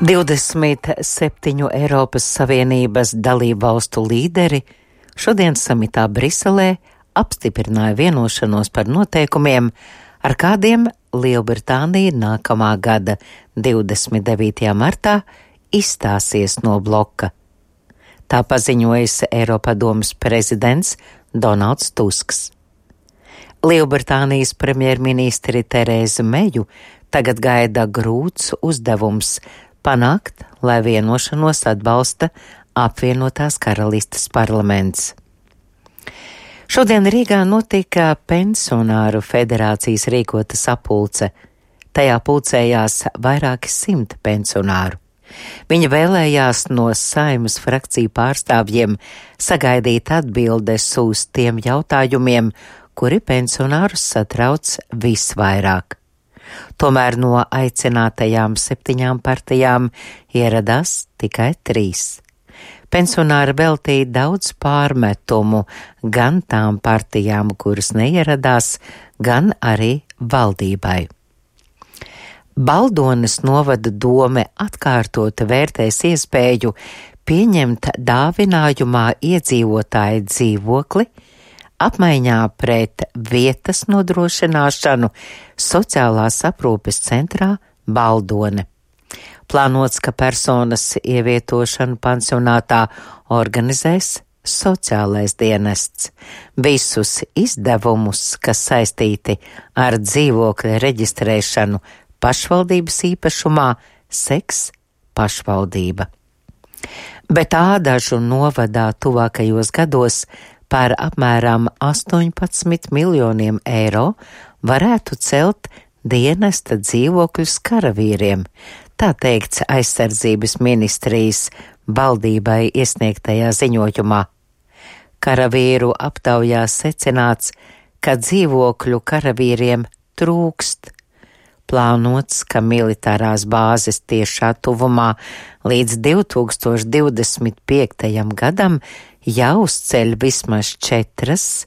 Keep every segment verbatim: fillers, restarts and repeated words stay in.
divdesmit septiņu Eiropas Savienības dalību valstu līderi šodien samitā Briselē apstiprināja vienošanos par noteikumiem, ar kādiem Lielbritānija nākamā gada divdesmit devītajā martā izstāsies no bloka. Tā paziņojis Eiropadomes prezidents Donalds Tusks. Lielbritānijas premjerministri Terēzu Meju tagad gaida grūts uzdevums panākt, lai vienošanos atbalsta apvienotās karalistes parlaments. Šodien Rīgā notika pensionāru federācijas rīkota sapulce. Tajā pulcējās vairāki simti pensionāru. Viņi vēlējās no Saeimas frakciju pārstāvjiem sagaidīt atbildes uz tiem jautājumiem, kuri pensionārus satrauc visvairāk. Tomēr no aicinātajām septiņām partijām ieradās tikai trīs. Pensionāri veltīja daudz pārmetumu gan tām partijām, kuras neieradās, gan arī valdībai. Baldones novada dome atkārtoti vērtēs iespēju pieņemt dāvinājumā iedzīvotāju dzīvokli, apmaiņā pret vietas nodrošināšanu sociālās aprūpes centrā Baldone. Plānots, ka personas ievietošanu pansionātā organizēs sociālais dienests. Visus izdevumus, kas saistīti ar dzīvokļa reģistrēšanu pašvaldības īpašumā, seks pašvaldība. Bet Ādažu novadā tuvākajos gados par apmēram astoņpadsmit miljoniem eiro varētu celt dienesta dzīvokļus karavīriem, tā teikts aizsardzības ministrijas valdībai iesniegtajā ziņojumā. Karavīru aptaujā secināts, ka dzīvokļu karavīriem trūkst. Plānots, ka militārās bāzes tiešā tuvumā līdz divi tūkstoši divdesmit piektajam gadam jāuzceļ vismaz četras,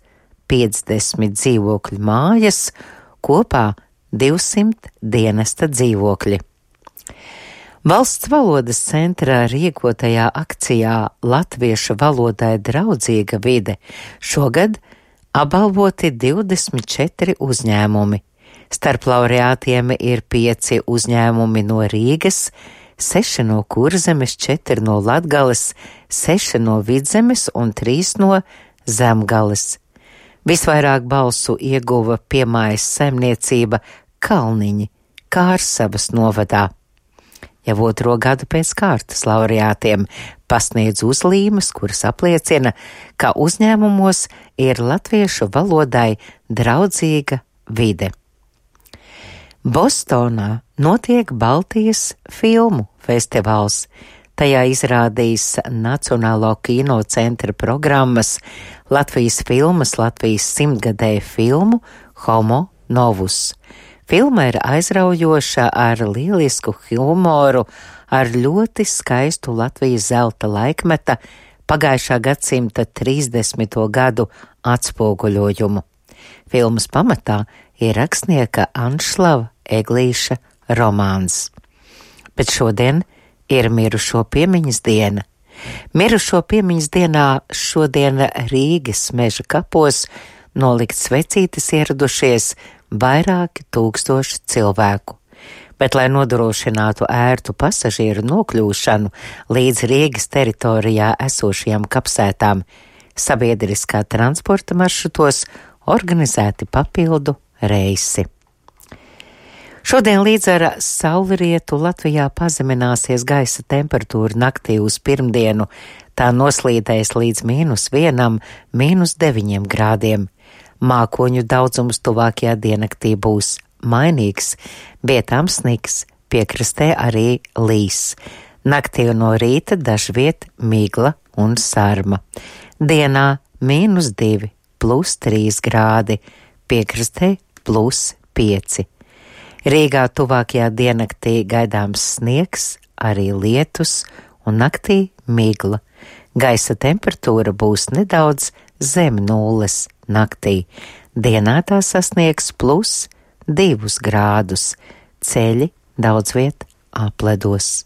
piecdesmit dzīvokļu mājas, kopā divsimt dienesta dzīvokļi. Valsts valodas centrā rīkotajā akcijā Latviešu valodai draudzīga vide šogad apbalvoti divdesmit četri uzņēmumi. Starp laureātiem ir pieci uzņēmumi no Rīgas, seši no Kurzemes, četri no Latgales, seši no Vidzemes un trīs no Zemgales. Visvairāk balsu ieguva piemājas saimniecība Kalniņi, Kārsavas novadā. Jau otro gadu pēc kārtas laureātiem pasniedz uzlīmes, kuras apliecina, ka uzņēmumos ir latviešu valodai draudzīga vide. Bostonā notiek Baltijas filmu festivāls. Tajā izrādīs Nacionālo kino centra programmas Latvijas filmas Latvijas simtgadēju filmu Homo novus. Filma ir aizraujoša ar lielisku humoru, ar ļoti skaistu Latvijas zelta laikmeta pagājušā gadsimta trīsdesmito gadu atspoguļojumu. Filmas pamatā ir rakstnieka Anšlava Eglīša romāns. Bet šodien ir mirušo piemiņas diena. Mirušo piemiņas dienā šodien Rīgas meža kapos nolikt svecītes ieradušies vairāki tūkstoši cilvēku. Bet, lai nodrošinātu ērtu pasažieru nokļūšanu līdz Rīgas teritorijā esošajām kapsētām, sabiedriskā transporta maršrutos organizēti papildu reisi. Šodien līdz ar saulrietu Latvijā pazemināsies gaisa temperatūra naktī uz pirmdienu, tā noslīdēs līdz mīnus vienam, mīnus deviņiem grādiem. Mākoņu daudzums tuvākajā diennaktī būs mainīgs, vietām sniks, piekrastē arī līs. Naktī no rīta dažviet migla un sarma. Dienā mīnus divi, plus trīs grādi, piekrastē plus pieci. Rīgā tuvākajā diennaktī gaidāms sniegs, arī lietus un naktī migla. Gaisa temperatūra būs nedaudz zem nulles naktī. Dienā tā sasniegs plus divus grādus. Ceļi daudz viet apledos.